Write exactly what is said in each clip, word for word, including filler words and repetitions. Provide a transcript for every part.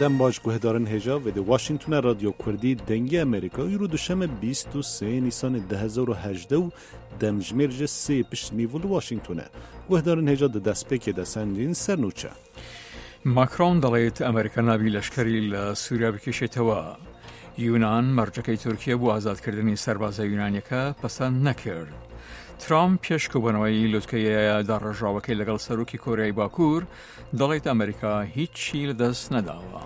Dem baş guhdarên hêja vê di Washingtonê Radyo Kurdî Dengê Amerîka, îro duşeme bîst û sê Nîsanê du hezar û hejdeh û demjimêr ji sê pişt nîvo li Washingtonê. Guhdarên hêja di destpêkê de sendîn ser nûçe. ماکرۆن دەڵێت ئەمریکا نابی لەشکری لە سووریا بکێشێتەوە. یونان مەرجەکەی تورکیا بۆ ئازادکردنی سەربازە یونانیەکە پەسەند نەکرد. ترامپ پێش کۆبوونەوەی لوتکەیە داڕژاوەکەی لەگەڵ سەرۆکی کۆریای باکوور دەڵێت ئەمریکا هیچی لەدەست نەداوە.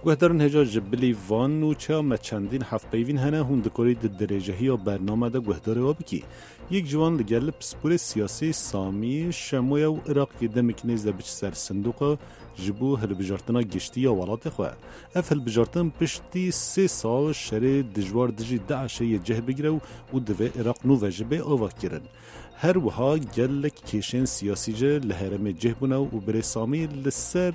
Guhdarên hêja, ji bilî van nûçeya me çendîn hevpeyvîn hene, hûn dikorî di dirêjehiya bername de guhdarê we bikî. Yek ji wan li gel pisporê siyasî Samî Şemo ye û Iraq yê demekî nêz de biçe ser sindoqa ji bo hilbijartina giştî ya welatê xwe. Ev hilbijartin piştî sê sal şerê dijwar dijî DAIŞê yê cih bigire û, û divê Iraq nû ve jî bê avakirin. Her wiha gelek kêşên siyasî jî li herêmê cih bûne û birê Samî li ser,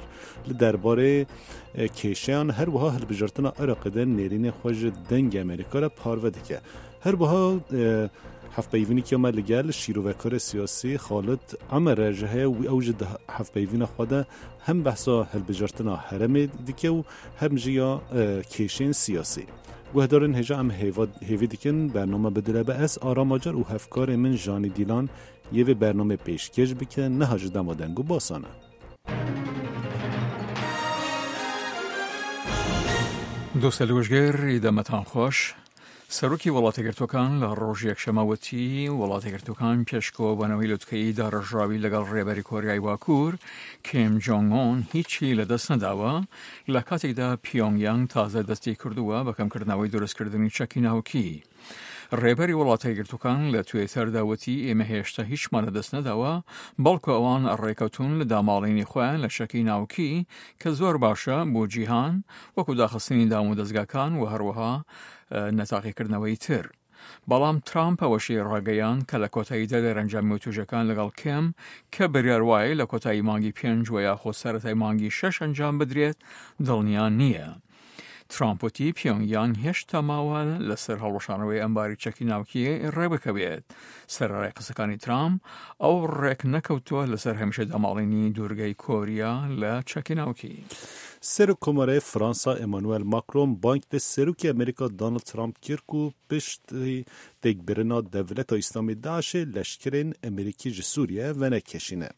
li derbarê, e, kêşeyan, her wiha hilbijartina Iraqê de nêrînê xwe ji Dengê Amerîka re parve dike. Her wiha, e, hevpeyvînekî me li gel şîrovekarê siyasî Xalid Emer re jî heye û ew jî di hevpeyvîna xwe de hem behsa hilbijartina herêmê dike û hem jî ya, e, kêşên siyasî. Guhdarên hêja, em hêva-, hêvî dikin bername bidire be ez, Aram Acar û hevkarê min Janî Dîlan yê vê bernamê pêşkêş bike, niha ji dema deng û basan e. دۆستە لوژگەر ئیدەمەتان خۆش. سەرۆکی وڵاتە گرتوەکان لە ڕۆژ یەکشەمە وتی وڵاتە گرتوەکان پێشکەوە بەنەوەی لوتکەی داڕژاوی لەگەڵ ڕێبەری کۆریای باکوور کیم جۆنگ ئون هیچی لەدەست نەداوە، لە کاتێکدا پیۆنگ یانگ تازە دەستی کردووە بە کەمکردنەوەی دروستکردنی چەکی ناوکی. ڕێبەری وڵاتە گرتوەکان لە توێتەردا وتی ئێمە هێشتا هیچمان لەدەست نەداوە، بەڵکو ئەوان ڕێکەوتون لە داماڵینی خۆیان لە چەکی ناوکی کە زۆر باشە بۆ جیهان، وەکو داخستنی دام و دەستگاکان و هەروەها، ئە، نەتاقیکردنەوەی تر. بەڵام ترامپ ئەوەشی ڕاگەیاند کە لە کۆتاییدا دەرەنجامی وتوژەکان لەگەڵ کێم کە بریار وایە لە کۆتایی مانگی پێنج و یاخۆ سەرەتای مانگی شەش ئەنجام بدرێت، دڵنیا نییە. ترامپ وتی پیۆنگ یانگ هێشتا ماوە لەسەر هەڵوەشانەوەی ئەمباری چەکی ناوکی ڕێبکەوێت. سەرەڕای قسەکانی ترامپ، ئەو ڕێک نەکەوتووە لەسەر هەمیشە داماڵینی دوورگەی کۆریا لە چەکی ناوکی. Serok Komarê Fransa Emmanuel Macron bang li Serokê Amerîka Donald Trump kir ku piştî têkbirina Dewleta Îslamê DAIŞê leşkerên Amerîkî ji Sûriye venekişîne.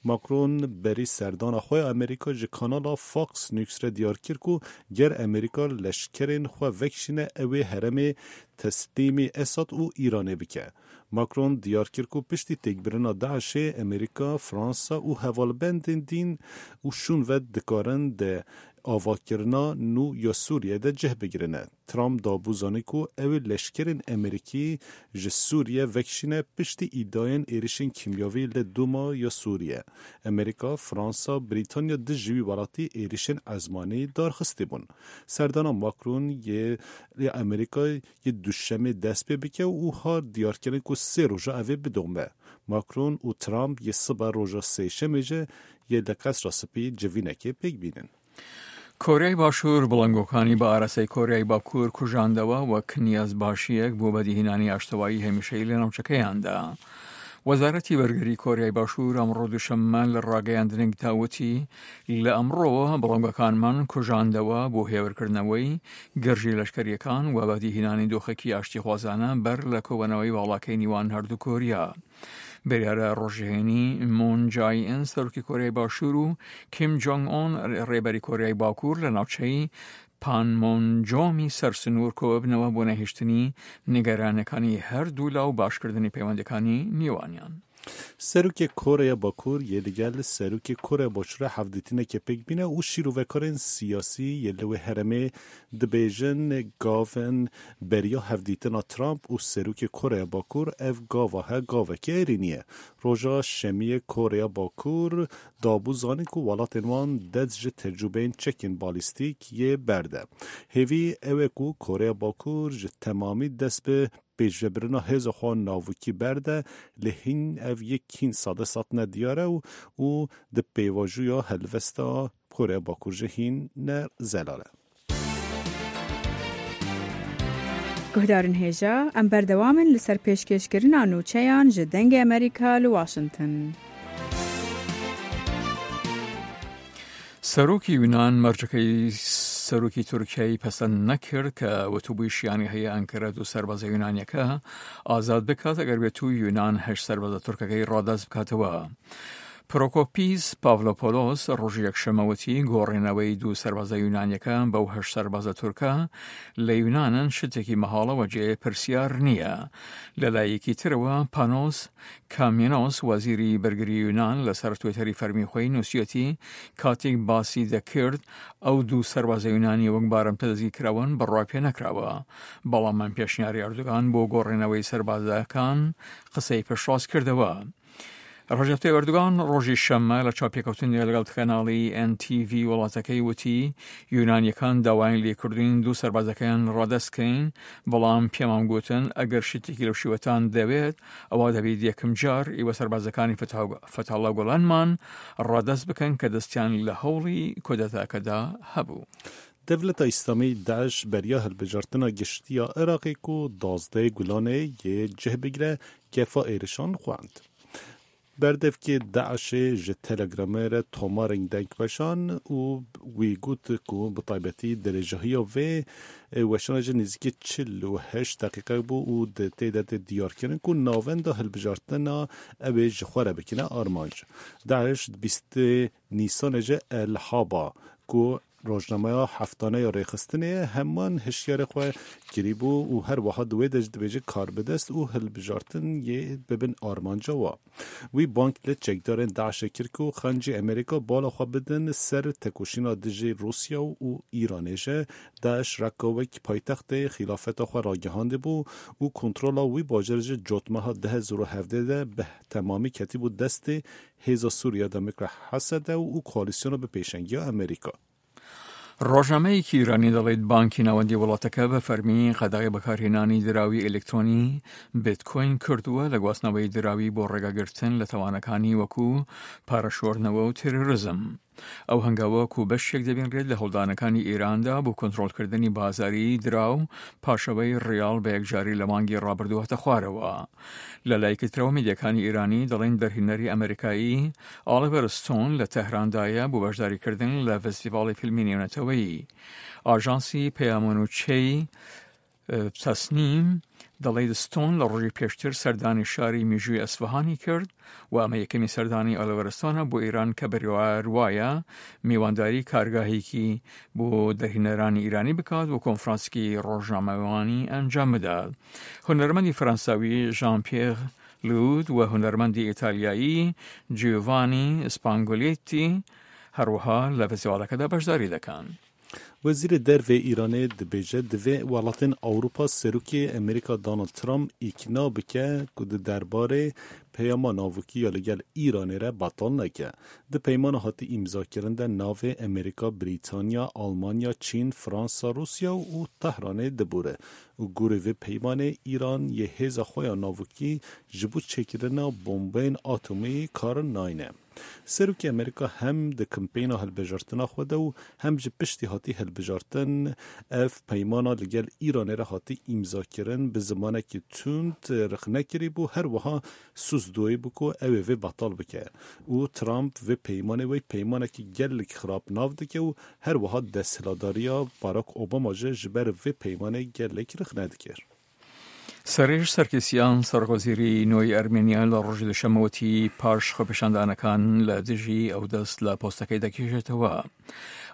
Macron berî serdana xwe ya Amerîka ji kanala Fox News re diyar kir ku ger Amerîka leşkerên xwe vekişîne, ew ê herêmê teslîmî Esad û Îranê bike. Macron diyar kir ku piştî têkbirina DAIŞê Amerîka, Fransa û hevalbendên din û şûn ve dikarin di avakirina nû ya Sûriye de cih bigirine. Trump dabû zanî ku ew ê leşkerên Amerîkî ji Sûriye vekişîne piştî îdiayên êrişên kîmyavî li Dûma ya Sûriye. Amerîka, Fransa, Brîtanya du ji wî welatî êrişên ezmanî darxistî bûn. Serdana Macron yê, yê Amerîka yê Duşemê dest pê bike û har diyarkirin ku sê roja ev ê bidome. Macron û Trump yê sibe roja Sêşemê jî yê li Qesra Spî civînekê pêk bînin. کۆریای باشوور بڵندگۆکانی بە ئاراستەی کۆریای باکوور کوژاندەوە، وەک نیازباشییەک بۆ بەدیهێنانی ئاشتەوایی هەمیشەیی لە ناوچەکەیاندا. وەزارەتی بەرگری کۆریای باشوور ئەمڕۆ دووشەممە لە ڕاگەیاندنێکدا وتی، لە ئەمڕۆوە بڵندگۆکانمان کوژاندەوە بۆ هێورکردنەوەی گرژی لەشکەرییەکان و بەدیهێنانی دۆخێکی ئاشتیخوازانە بەر لە کۆبوونەوەی باڵاکەی نیوان هەردوو کۆریا. بریارە ڕۆژهێنی مون جای ئین، سەرۆکی کۆریای باشوور، و کیم جۆنگ ئون، ڕێبەری کۆریای باکوور، لە ناوچەی پانمونجۆمی سەرسنوور کۆببنەوە بۆ نەهێشتنی نیگەرانییەکانی هەردوو لا و باشکردنی پەیوەندییەکانی نێوانیان. Serokê Koreya Bakur yê li gel Serokê Koreya Başûrê hevdîtinekê pêk bîne û şîrovekarên siyasî yê li wê herêmê dibêjin, gavên beriya hevdîtina Trump û Serokê Koreya Bakur ev gava he gavekî êrînî ye. Roja Şemiyê Koreya Bakur dabû zanîn ku welatên wan dest ji tecrûbeyên çekên balîstîk yê berde. Hêvî ew e ku Koreya Bakur ji temamî dest bi pêşvebirina hêza xwe navûkî berde, lê hîn ev yek hîn sade sed ne diyar e û, û di pêvajoya helwesta Koreya Bakur jî hîn ne zelal e. Guhdarên hêja, em berdewam in li ser pêşkêşkirina nûçeyan ji Dengê Amerîka li Washington. سەرۆکی یونان مەرجەکەی سەرۆکی تورکیای پەسەند نەکرد کە وتوبووی شیانی هەیە ئەنکەرە دوو سەربازە یونانیەکە ئازاد بکات، ئەگەر بێت و یونان هەشت سەربازە تورکەکەی ڕادەست بکاتەوە. پرۆکۆپیس پاڤلۆپۆلۆس ڕۆژی یەکشەممە وتی گۆڕینەوەی دوو سەربازە یونانیەکە بەو هەشت سەربازە تورکە لە یونانن شتێکی مەهاڵەوە جێ پرسیار نییە. لە لایەکی ترەوە پانۆس کامینۆس، وەزیری بەرگری یونان، لەسەر توێتەری فەرمی خۆی نووسیەتی، کاتێک باسی دەکرد، ئەو دوو سەربازە یونانی وەک بارمتە دەستگیر کراون، بڕوای پێ نەکراوە. بەڵام من پێشنیاری ئەردوگان بۆ گۆڕینەوەی سەربازەکان قسەی پشتڕاست کردەوە. ڕەجەب تەیب ئەردوگان ڕۆژی شەممە لە چاپێکەوتنی لەگەڵ کەناڵی ئێن تی ڤی وڵاتەکەی وتی، یونانیەکان داوایان لێکردوین دوو سەربازەکەیان ڕادەست کەین، بەڵام پێمان گوتن ئەگەر شتێکی لەو شێوەتان دەوێت، ئەوە دەبێت یەکم جار ئێوە سەربازەکانی فتح-، فتحالله گۆلانمان ڕادەست بکەن کە دەستیان لە هەوڵی کۆدەتاکەدا هەبوو. Dewleta Îslamî, DAIŞ, beriya hilbijartina giştî ya Iraqê ku duwazdeh Gulanê yê cih bigire, kefa êrişan xwend. Berdevkê DAIŞê ji Telegramê re tomarên deng weşan û wî got ku bi taybetî dirêjahiya vê, e, weşana jî nêzîkî çil û heşt deqîqe bû û di tê de tê diyarkirin ku navenda hilbijartina ew ê ji xwe re bikine armanc. DAIŞ di bîstê Nîsanê jî El Haba ku rojnameya heftane ya rêxistinê heman hişyarê xwe kirîbû û her wiha di wê de jî dibêje karbidest û hilbijartin yê bibin armanca wa. Wî bang li çekdarên DAIŞê kir ku xencî Amerîka bala xwe bidin ser tekoşîna dijî Rûsya û Îranê jî. DAIŞ reka wek paytextê xîlafeta xwe ragihandibû û kontrola wî bajarê jî cotmeha du hezar û hevdeh de bi temamî ketibû destê Hêza Sûriya Demokrat, H S D, û koalîsyona bi pêşengiya Amerîka. ڕۆژنامەیەکی ئیرانی دەڵێت بانکی ناوەندی وڵاتەکە بە فەرمی قەدەغەی بەکارهێنانی دراوی ئەلکترۆنی بیتکۆین کردووە لە گواستنەوەی دراوی بۆ ڕێگاگرتن لە تاوانەکانی وەکو پارەشۆردنەوە و تێرۆریزم. ئەو هەنگاوە کو بەشێک دەبینرێت لە هەوڵدانەکانی ئێراندا بۆ کۆنترۆلکردنی بازاری دراو پاشەوەی ڕیاڵ بە یەکجاری لە مانگی ڕابردوو هاتە خوارەوە. لە لایەکی ترەوە میدیاکانی ئێرانی دەڵێن دەرهێنەری ئەمریکایی ئالیڤەر ستۆن لە تەهراندایە بۆ بەشداریکردن لە فستیڤاڵی فیلمی نێونەتەوەیی. ئاژانسی پەیامۆنوچەی، ئە، تەسنیم دەڵێت ستۆن لە ڕۆژی پێشتر سەردانی شاری میژووی ئەسفەهانی کرد و ئەمە یەکەمی سەردانی ئالیڤەر ستۆنە بۆ ئێران کە بڕیار وایە میوانداری کارگاهێکی بۆ دەرهێنەرانی ئیرانی بکات و کۆنفرانسێکی ڕۆژنامەوانی ئەنجام بدات. هونەرمەندی فەرەنساوی ژان پیێر لود و هونەرمەندی ئیتالیایی جیۆڤانی سپانگۆلێتی هەروەها لە فستیڤاڵەکەدا بەشداری دەکەن. Wezîrê Dervê Îranê dibêje, divê welatên Ewropa Serokê Amerîka Donald Trump îkna bike ku di derbarê peyama navokî ya li gel Îranê re betal neke. Di peymana hatî îmzakirin de navê Amerîka, Brîtanya, Almanya, Çîn, Fransa, Rûsya û Tehranê dibûre û gorî vê peymanê Îran yê hêza xwe ya navokî ji bo çêkirina bombeyên atomî kar nayne. Serokê Amerîka hem di kampeyna hilbijartina xwe de û hem ji piştî hatî hilbijartin ev peymana li gel Îranê re hatî îmzakirin bi zimanekî tund rexne kirîbû, her wiha sûz doyî bû ku ew ê vê betal bike û Trump vê peymanê wek peymanekî gelek xirab nav dike û her wiha desthilatdariya Barack Obama jî ji ber vê peymanê gelek rexne dikir. سەرێژ سەرکیسیان، سەرۆکوەزیری نوێی ئەرمێنیا، لە ڕۆژی دوشەممە وتی پاش خۆپیشاندانەکان لە دژی ئەو دەست لە پۆستەکەی دەکێشێتەوە.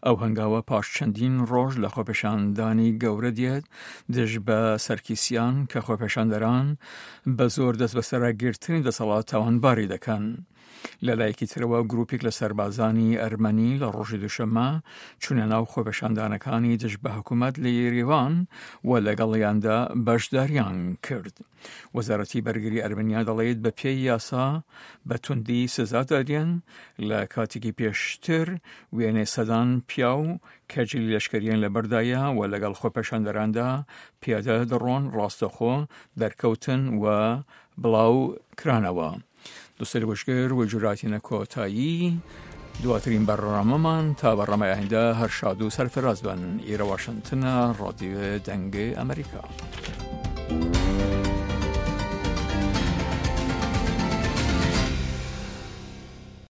ئەو هەنگاوە پاش چەندین ڕۆژ لە خۆپیشاندانی گەورە دێت دژ بە سەرکیسیان کە خۆپیشاندەران بە زۆر دەست بەسەرگرتنی دەسەڵات تاوانباری دەکەن. لە لایەکی ترەوە گروپێک لە سەربازانی ئەرمەنی لە ڕۆژی دوشەممە چوونە ناو خۆپیشاندانەکانی دژ بە حکوومەت لە یێریڤان و لەگەڵیاندا بەشداریان کرد. وەزارەتی بەرگری ئەرمەنیا دەڵێت بە پێی یاسا بە توندی سزا دەدرێن. لە کاتێکی پێشتر وێنەی سەدان پیاو کە جلی لەشکریان لە بەردایە و لەگەڵ خۆپیشاندەراندا پیادە دەڕۆن ڕاستەخۆ دەرکەوتن و بڵاو کرانەوە. دوستەر وشگر و جوراتینە کۆتایی دواترین بەڕامەمان تا بەڕامە ئایندە هەر شاد و سەرفراز بن. ئێرە واشنتنە، ڕادیۆ دەنگی ئەمریکا.